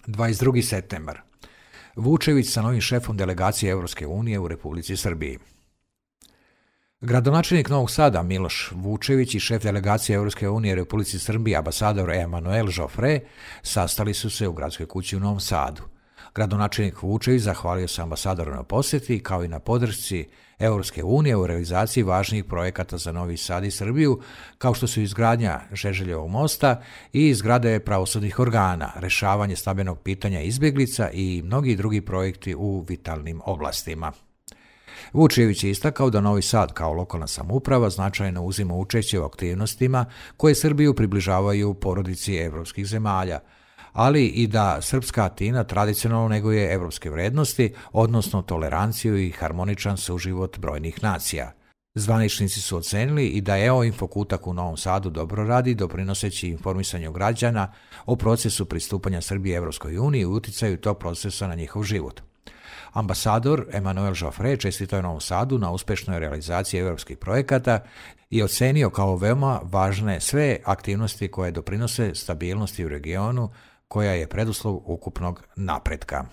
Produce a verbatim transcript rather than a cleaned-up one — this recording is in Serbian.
dvadeset drugi septembar. Vučević sa novim šefom delegacije Evropske unije u Republici Srbiji. Gradonačelnik Novog Sada Miloš Vučević i šef delegacije Evropske unije u Republici Srbiji ambasador Emanuel Joffre sastali su se u gradskoj kući u Novom Sadu. Gradonačelnik Vučević zahvalio se ambasadoru na posjeti kao i na podršci Evropske unije u realizaciji važnijih projekata za Novi Sad i Srbiju, kao što su izgradnja Žeželjevog mosta i izgrade pravosudnih organa, rešavanje stambenog pitanja izbjeglica i mnogi drugi projekti u vitalnim oblastima. Vučević je istakao da Novi Sad kao lokalna samouprava značajno uzima učešće u aktivnostima koje Srbiju približavaju porodici evropskih zemalja, ali i da srpska Atina tradicionalno neguje evropske vrednosti, odnosno toleranciju i harmoničan suživot brojnih nacija. Zvaničnici su ocenili i da E O Infokutak u Novom Sadu dobro radi, doprinoseći informisanju građana o procesu pristupanja Srbije Evropskoj uniji i uticaju tog procesa na njihov život. Ambasador Emanuel Joffre čestitao je Novom Sadu na uspešnoj realizaciji evropskih projekata i ocenio kao veoma važne sve aktivnosti koje doprinose stabilnosti u regionu, koja je preduslov ukupnog napretka.